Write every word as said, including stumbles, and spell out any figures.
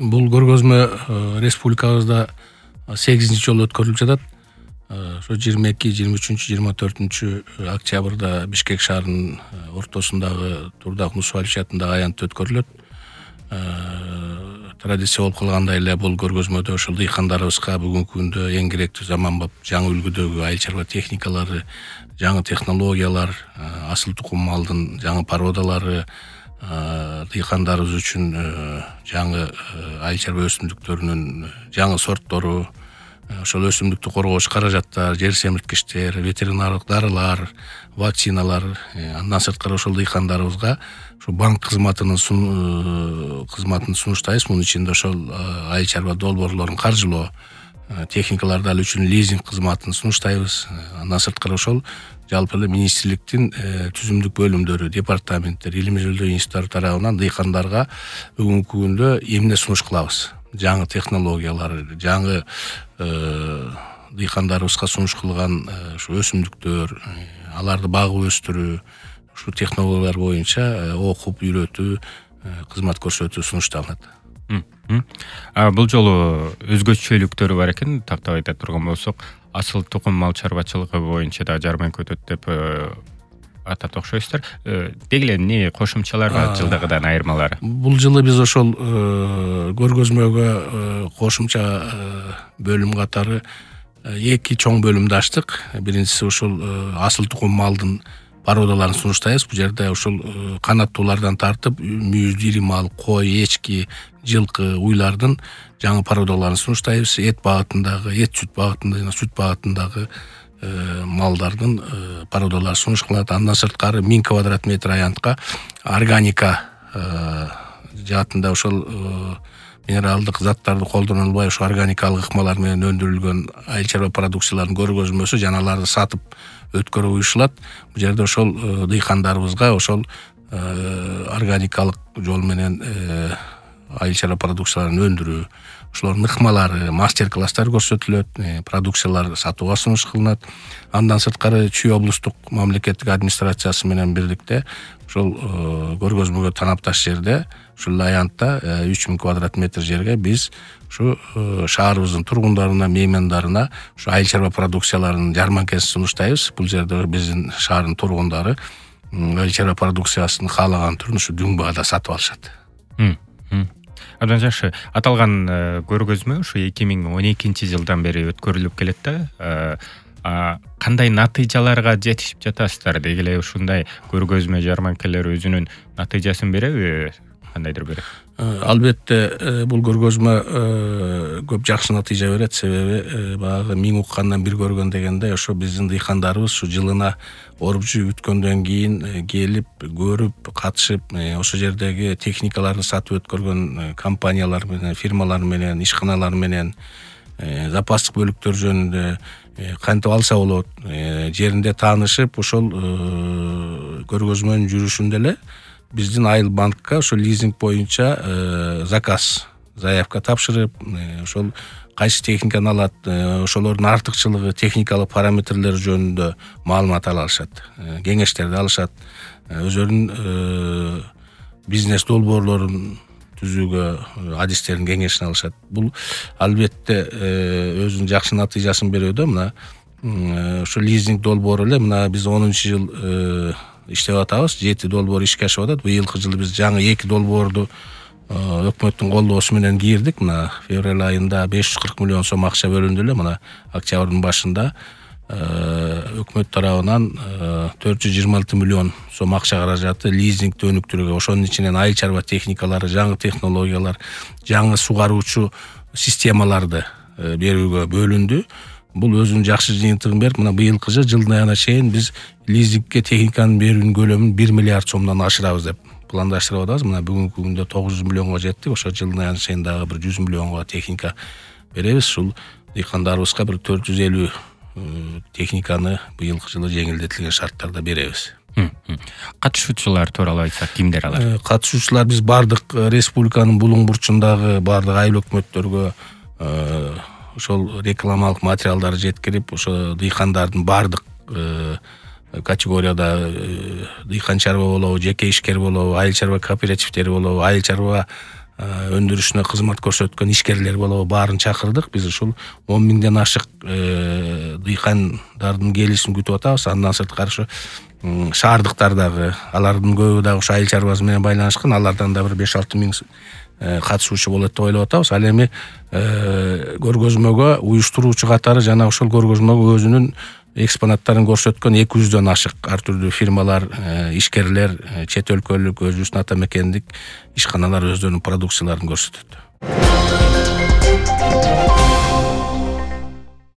Бул көргөзмө республикабызда сегизинчи жолу өткөрүлүп жатат. Ошо жыйырма эки, жыйырма үчүнчү, жыйырма төртүнчү октябрда Бишкек шаарынын ортосундагы Турдак Нусуалич атындагы аянтта өткөрүлөт. Традиция болуп калгандай эле бул көргөзмөдө ошол дыйкандарыбызга бүгүнкү күндө эң керектүү заманбап жаңы үлгүдөгү айыл чарба техникалары, жаңы технологиялар, асыл тукум малдын жаңы породалары, дыйкандарыбыз үчүн жаңы айыл чарба өсүмдүктөрүнүн жаңы сорттору, ошол өсүмдүктү коргооч каражаттар, жер семирткичтер, ветеринардык дарылар, вакциналар, андан сырткары ошол дыйкандарыбызга ушу банк кызматынын кызматын сунуштайбыз. Мунун ичинде ошол айыл чарба долбоорлорун каржылоо, техникаларды ал үчүн лизинг кызматын сунуштайбыз. Андан сырткары ошол жалпы эле министрликтин түзүмдүк бөлүмдөрү, департаменттер, илимий изилдөө институттары тарабынан дыйкандарга бүгүнкү күндө эмне сунуш кылабыз? Жаңы технологиялар, жаңы дыйкандарыбызга сунуш кылган ушу өсүмдүктөр, аларды багып өстүрүү, ушул технологиялар боюнча окуп, үйрөтүү, кызмат көрсөтүү сунушталат. Бул жолу өзгөчөлүктөрү бар экен, тактап айта турган болсок, асыл тукум мал чарбачылыгы боюнча да жарманка өтөт деп атат окшойсуздар. Деги эле эмне кошумчалар бар жылдагыдан айырмалары? Бул жылы биз ошол көргөзмөгө кошумча бөлүм катары эки чоң бөлүмдү ачтык. Биринчиси ошол асыл тукум малдын породаларын сунуштайбыз. Бул жерде ошол канаттуулардан тартып мүйүз, ири мал, кой, эчки, жылкы, уйлардын жаңы породаларын сунуштайбыз. Эт багытындагы, эт сүт багытындагы, сүт багытындагы малдардын породалары сунуш кылынат. Андан сырткары миң квадрат метр аянтка органика жаатында ошол минералдык заттарды колдонулбай ошо органикалык ыкмалар менен өндүрүлгөн айыл чарба продукцияларынын көргөзмөсү жана аларды сатып өткөрүү уюшулат. Бул жерде ошол дыйкандарыбызга ошол органикалык жол менен айыл чарба продукцияларын өндүрүү, ошолордун ыкмалары, мастер-класстар көрсөтүлөт, продукциялар сатууга сунуш кылынат. Андан сырткары Чүй облустук мамлекеттик администрациясы менен бирдикте ошол көргөзмөгө танапташ жерде, ушул аянтта үч миң квадрат метр жерге биз ушу шаарыбыздын тургундарына, меймандарына ушу айыл чарба продукцияларынын жарманкасын сунуштайбыз. Бул жерде биздин шаардын тургундары айыл чарба продукциясын каалаган түрүн ушу дүң баада сатып алышат. Абдан жакшы. Аталган көргөзмө ушу эки миң он экинчи жылдан бери өткөрүлүп келет да. Кандай натыйжаларга жетишип жатасыздар? Деги эле ушундай көргөзмө, жарманкалар өзүнүн натыйжасын береби? Кандайдыр бир? Албетте, бул көргөзмө көп жакшы натыйжа берет. Себеби баягы миң уккандан бир көргөн дегендей, ошо биздин дыйкандарыбыз ушу жылына оруп жүйүп бүткөндөн кийин келип, көрүп, катышып, ошо жердеги техникаларды сатып өткөргөн компаниялар менен, фирмалар менен, ишканалар менен, запастык бөлүктөр жөнүндө кантип алса болот, жеринде таанышып, ошол көргөзмөнүн жүрүшүндө эле биздин айыл банкка ошол лизинг боюнча заказ, заявка тапшырып, ошол кайсы техниканы алат, ошолордун артыкчылыгы, техникалык параметрлери жөнүндө маалымат ала алышат, кеңештерди алышат, өзлөрүнүн бизнес долбоорлорун түзүүгө адистерин кеңешин алышат. Бул албетте өзүнүн жакшы натыйжасын берүүдө. Мына ошо лизинг долбоору эле мына биз онунчу жыл иштеп атабыз. жети долбоор ишке ашып атат. Быйылкы жылы биз жаңы эки долбоорду өкмөттүн колдоосу менен кирдик. Мына февраль айында беш жүз кырк миллион сом акча бөлүндү эле. Мына октябрдын башында өкмөт тарабынан төрт жүз жыйырма алты миллион сом акча каражаты лизингди өнүктүрүүгө, ошонун ичинен айыл чарба техникалары, жаңы технологиялар, жаңы сугаруучу системаларды берүүгө бөлүндү. Бул өзүнүн жакшы жыйынтыгын берип, мына быйылкы жыл жылдын аягына чейин биз лизингге техниканын берүүнүн көлөмүн бир миллиард сомдон ашырабыз деп пландаштырып атабыз. Мына бүгүнкү күндө тогуз жүз миллионго жеттик. Ошо жылдын аягына чейин дагы бир жүз миллионго техника беребиз. Ушул дыйкандарыбызга бир төрт жүз элүү техниканы быйылкы жылы жеңилдетилген шарттарда беребиз. Катышуучулар тууралуу айтсак, кимдер алар? Катышуучулар биз бардык республиканын булуң бурчундагы бардык айыл өкмөттөргө ошол рекламалык материалдарды жеткирип, ошо дыйкандардын бардык категорияда дыйкан чарба болобу, жеке ишкер болобу, айыл чарба кооперативдери болобу, айыл чарба өндүрүшүнө кызмат көрсөткөн ишкерлер болобу баарын чакырдык. Биз ушул он миңден ашык дыйкандардын келишин күтүп атабыз. Андан сырткары ушу шаардыктар дагы, алардын көбү дагы ушу айыл чарбасы менен байланышкан. Алардан да бир беш алты миң катышуучу болот деп ойлоп атабыз. Ал эми көргөзмөгө уюштуруучу катары жана ошол көргөзмөгө өзүнүн экспонаттарын көрсөткөн эки жүздөн ашык ар түрдүү фирмалар, ишкерлер, чет өлкөлүк, өзүбүздүн ата мекендик ишканалар өздөрүнүн продукцияларын көрсөтөт.